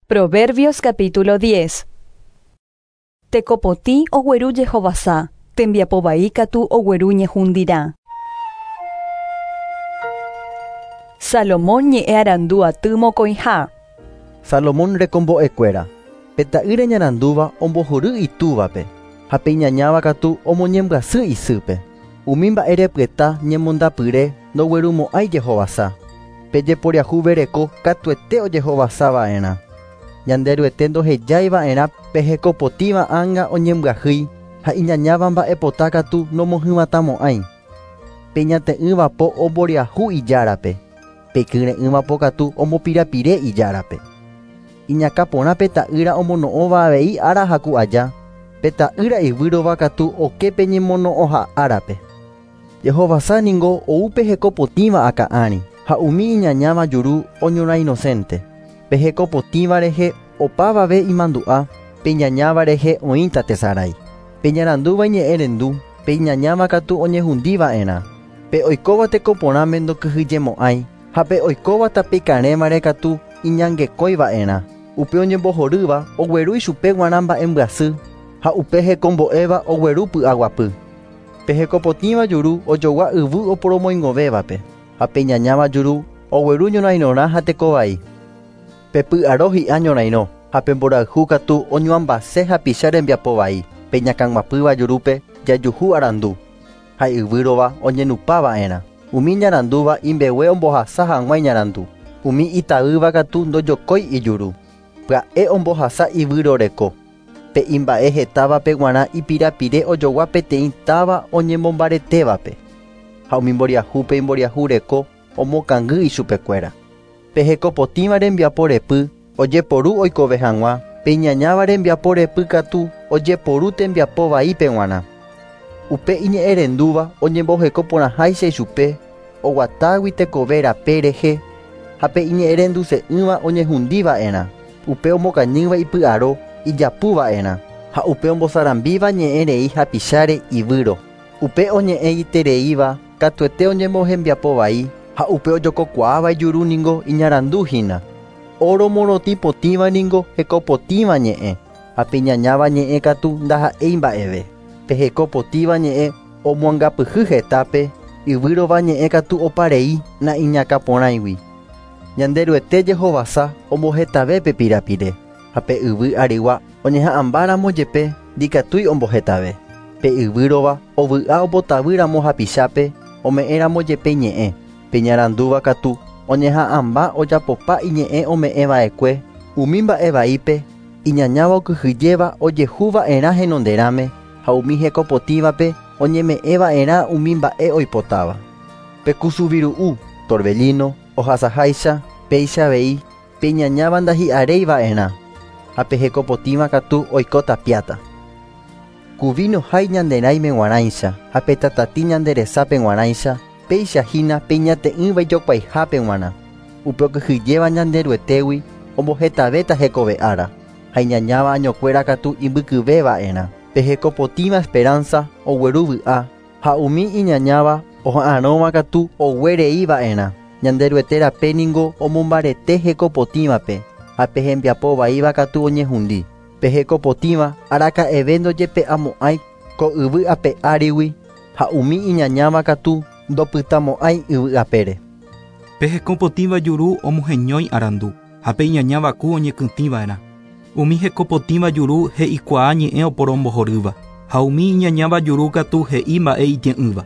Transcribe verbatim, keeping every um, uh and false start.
Proverbios capítulo diez. Tekopotĩ ogueru jehovasa, tembiapo vai katu ogueru ñehundirã. Salomón ñe'ẽ arandu aty mokõiha. Salomón rekombo'ekuéra. Pe ta'ýre ñarandúva ombohory itúvape, ha pe iñañáva katu omoñembyasy isýpe. Umi mba'erepyeta ñemondapyre ndoguerumo'ãi jehovasa. Pe jeporiahuvereko katuete ojehovasava'erã. Ñanderuete ndohejaiva'erã pe hekopotĩva ánga oñembyahýi ha iñañáva mba'epota katu nomohyvatãmo'ãi. Pe ñate'ỹvapo omboriahu ijárape. Pe kyre'ỹvapo katu ombopirapire ijárape. Iñakãporã pe ta'ýra omono'õva avei ára haku aja. Pe ta'ýra ivýrova katu oke pe ñemono'õha árape. Jehovasa ningo ou pe hekopotĩva akã'ári ha umi iñañáva juru oñorainocente. Pe hekopotĩva rehe opavave imandu'a, pe iñañáva rehe oĩta tesarái. Pe ñarandúva iñe'ẽrendu, pe iñañáva katu oñehundiva'erã. Pe oikóva tekoporãme ndokyhyjemo'ãi, ha pe oikóva tapikarẽvare katu iñangekóiva'erã. Upe oñembohorýva ogueru ichupe g̃uarã mba'embyasy, ha upe hekombo'éva ogueru py'aguapy. Pe hekopotĩva juru ojogua yvy oporomoingovévape, ha pe iñañáva juru ogueru ñorairõrã ha tekovai. Pe py'aro hi'a ñorairõ, ha pe mborayhu katu oñuambase hapicha rembiapo vai. Pe iñakãguapýva jurúpe jajuhu arandu, ha yvýrova oñenupava'erã. Umi ñarandúva imbegue ombohasa hag̃ua iñarandu. Umi itaýva katu ndojokói ijuru. Pya'e ombohasa ivýroreko. Pe imba'e hetávape g̃uarã ipirapire ojogua peteĩ táva oñemombaretévape. Ha umi mboriahúpe imboriahureko omokangy ichupekuéra. Pe hekopotĩva rembiapo repy ojeporu oikove hag̃ua, pe iñañáva rembiapo repy katu ojeporu tembiapo vaípe g̃uarã. Upe iñe'ẽrendúva oñembohekoporãháicha ichupe oguatágui tekove rape rehe, ha pe iñe'ẽrenduse'ỹva oñehundiva'erã. Upe omokañýva ipy'aro ijapuva'erã, ha upe ombosarambíva ñe'ẽrei hapicháre ivýro. Upe oñe'ẽitereíva katuete oñembohembiapo vai, ha upe ojokokuaáva ijuru ningo iñaranduhína. Oro morotĩ potĩva ningo hekopotĩva ñe'ẽ, ha pe iñañáva ñe'ẽ katu ndaha'éi mba'eve. Pe hekopotĩva ñe'ẽ omoangapyhy hetápe, yvýrova ñe'ẽ katu oparei na'iñakãporãigui. Ñanderuete jehovasa ombohetave pe pirapire, ha pe yvy arigua oñeha'ãmbáramo jepe ndikatúi ombohetave. Pe yvýrova ovy'a ombotavýramo hapichápe ome'ẽramo jepe ñe'ẽ. Pe ñarandúva katu oñeha'ãmba ojapopa iñe'ẽ ome'ẽva'ekue umi mba'e vaípe iñañáva okyhyjéva ojehuva'erã henonderãme ha umi hekopotĩvape oñeme'ẽva'erã umi mba'e oipotáva. Pe kusuviru'u, torbellino, ohasaháicha, péicha avei, pe iñañáva ndahi'areiva'erã, ha pe hekopotĩva katu oiko tapiáta. Ku vino hái ñanderãime g̃uarãicha ha pe tatatĩ ñanderesápe g̃uarãicha, péicha hína pe iñate'ỹva ijokuaihápe g̃uarã. Upe okyhyjéva ñanderuetégui ombohetavéta hekove ára, ha iñañáva añokuéra katu imbykyvéva'erã. Pe hekopotĩva esperanza ogueru vy'a, ha umi iñañáva oha'arõva katu oguereiva'erã. Ñanderuete rape ningo omombarete hekopotĩvape, ha pe hembiapo vaíva katu oñehundi. Pe hekopotĩva araka'eve ndojepe'amo'ãi ko yvy ape árigui, ha umi iñañáva katu ndopytamo'ãi yvy apére. Pe hekopotĩva juru omoheñói arandu, ha pe iñañáva ku oñekytĩva'erã. Umi hekopotĩva juru he'ikuaa ñe'ẽ oporombohorýva, ha umi iñañáva juru katu he'i mba'e itie'ỹva.